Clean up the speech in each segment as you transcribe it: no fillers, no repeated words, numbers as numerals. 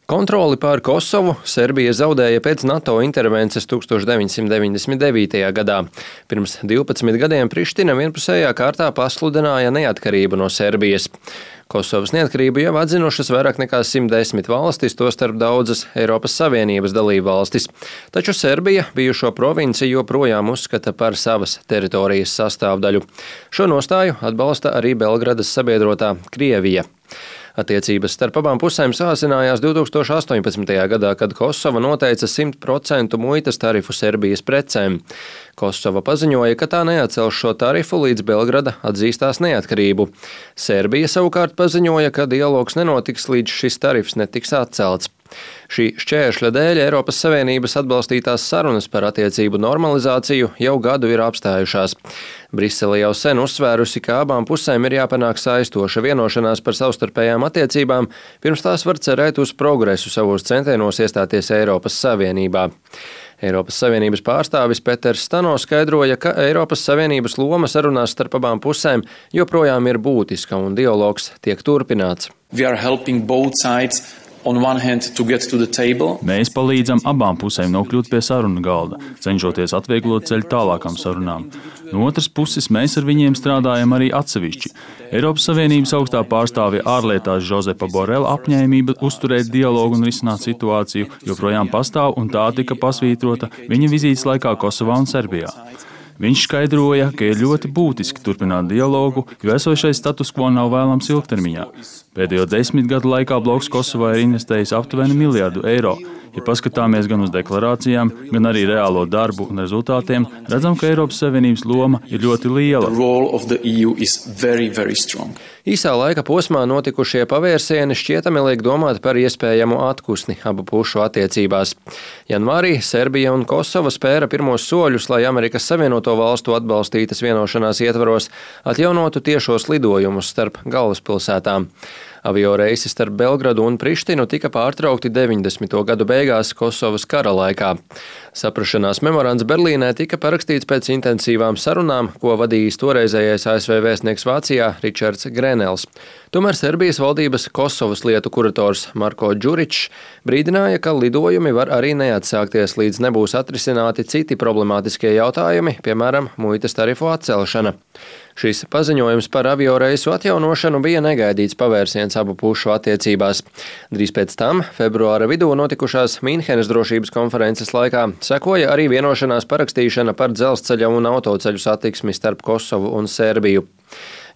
Kontroli pār Kosovu Serbija zaudēja pēc NATO intervences 1999. gadā. Pirms 12 gadiem Priština vienpusējā kārtā pasludināja neatkarību no Serbijas. Kosovas neatkarību jau atzinušas vairāk nekā 110 valstis, tostarp daudzas Eiropas Savienības dalībvalstis. Taču Serbija bijušo provinciju joprojām uzskata par savas teritorijas sastāvdaļu. Šo nostāju atbalsta arī Belgradas sabiedrotā Krievija. Attiecības starp abām pusēm sāsinājās 2018. gadā, kad Kosova noteica 100% muitas tarifu Serbijas precēm. Kosova paziņoja, ka tā neatcels šo tarifu, līdz Belgrada atzīstās neatkarību. Serbija savukārt paziņoja, ka dialogs nenotiks, līdz šis tarifs netiks atcelts. Šī šķēršļa dēļ Eiropas Savienības atbalstītās sarunas par attiecību normalizāciju jau gadu ir apstājušās. Brisele jau sen uzsvērusi, ka abām pusēm ir jāpanāk saistoša vienošanās par savstarpējām attiecībām, pirms tās var cerēt uz progresu savos centienos iestāties Eiropas Savienībā. Eiropas Savienības pārstāvis Peters Stano skaidroja, ka Eiropas Savienības loma sarunās starp abām pusēm joprojām ir būtiska un dialogs tiek turpināts. Mēs palīdzam abām pusēm nokļūt pie sarunu galda, cenšoties atvieglot ceļu tālākām sarunām. No otras puses, mēs ar viņiem strādājam arī atsevišķi. Eiropas Savienības augstā pārstāvja ārlietās Žozepa Borela apņēmība uzturēt dialogu un risināt situāciju joprojām pastāv, un tā tika pasvītrota viņa vizītes laikā Kosovā un Serbijā. Viņš skaidroja, ka ir ļoti būtiski turpināt dialogu, jo esošais status quo nav vēlams ilgtermiņā. Pēdējo 10 gadu laikā bloks Kosovā ir investējis aptuveni $1 miljardu. Ja paskatāmies gan uz deklarācijām, gan arī reālo darbu un rezultātiem, redzam, ka Eiropas Savienības loma ir ļoti liela. Īsā laika posmā notikušie pavērsieni šķietami liek domāt par iespējamu atpūsni abu pušu attiecībās. Janvārī Serbija un Kosova spēra pirmos soļus, lai Amerikas Savienoto Valstu atbalstītas vienošanās ietvaros atjaunotu tiešos lidojumus starp galvaspilsētām. Avio reisi starp Belgradu un Prištinu tika pārtraukti 90. gadu beigās Kosovas kara laikā. Saprašanās memorands Berlīnē tika parakstīts pēc intensīvām sarunām, ko vadījis toreizējais ASV vēstnieks Vācijā Ričards Grenels. Tomēr Serbijas valdības Kosovas lietu kurators Marko Đuričs brīdināja, ka lidojumi var arī neatsākties, līdz nebūs atrisināti citi problemātiskie jautājumi, piemēram, muitas tarifu atcelšana. Šis paziņojums par avio reisu atjaunošanu bija negaidīts pavērsiens abu pušu attiecībās. Drīz pēc tam, februāra vidū notikušās Mīnhenes drošības konferences laikā, sekoja arī vienošanās parakstīšana par dzelzceļa un autoceļu satiksmi starp Kosovu un Serbiju.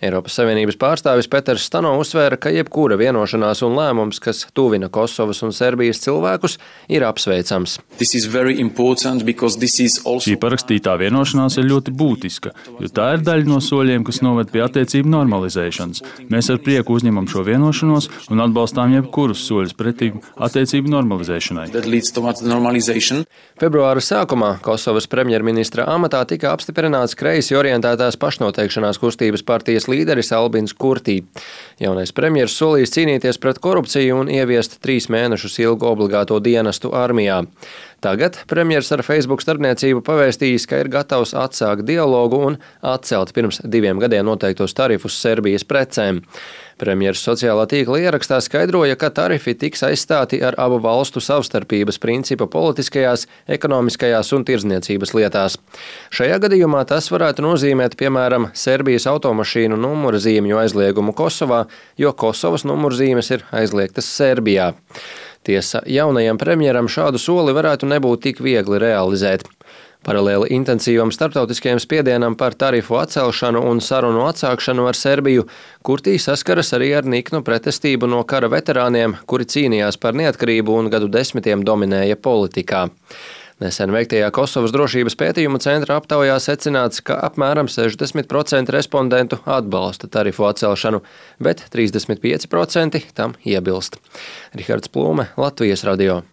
Eiropas Savienības pārstāvis Peters Stano uzsvēra, ka jebkura vienošanās un lēmums, kas tuvina Kosovas un Serbijas cilvēkus, ir apsveicams. Šī parakstītā vienošanās ir ļoti būtiska, jo tā ir daļa no soļiem, kas noved pie attiecību normalizēšanas. Mēs ar prieku uzņemam šo vienošanos un atbalstām jebkurus soļus pretī attiecību normalizēšanai. Februāra sākumā Kosovas premjerministra amatā tika apstiprināts kreisi orientētās pašnoteikšanās kustības partijas līderis Albins Kurtī. Jaunais premjers solījis cīnīties pret korupciju un ieviest 3 mēnešus ilgu obligāto dienestu armijā. Tagad premjers ar Facebook starpniecību pavēstījis, ka ir gatavs atsākt dialogu un atcelt pirms 2 gadiem noteiktos tarifus Serbijas precēm. Premjers sociālā tīkla ierakstā skaidroja, ka tarifi tiks aizstāti ar abu valstu savstarpības principu politiskajās, ekonomiskajās un tirdzniecības lietās. Šajā gadījumā tas varētu nozīmēt, piemēram, Serbijas automašīnu numurzīmju aizliegumu Kosovā, jo Kosovas numurzīmes ir aizliegtas Serbijā. Tiesa, jaunajam premjeram šādu soli varētu nebūt tik viegli realizēt. Paralēli intensīvam starptautiskajam spiedienam par tarifu atcelšanu un sarunu atsākšanu ar Serbiju, Kurtī saskaras arī ar niknu pretestību no kara veterāniem, kuri cīnījās par neatkarību un gadu desmitiem dominēja politikā. Nesen veiktajā Kosovas drošības pētījumu centra aptaujā secināts, ka apmēram 60% respondentu atbalsta tarifu atcelšanu, bet 35% tam iebilst. Rihards Plūme, Latvijas radio.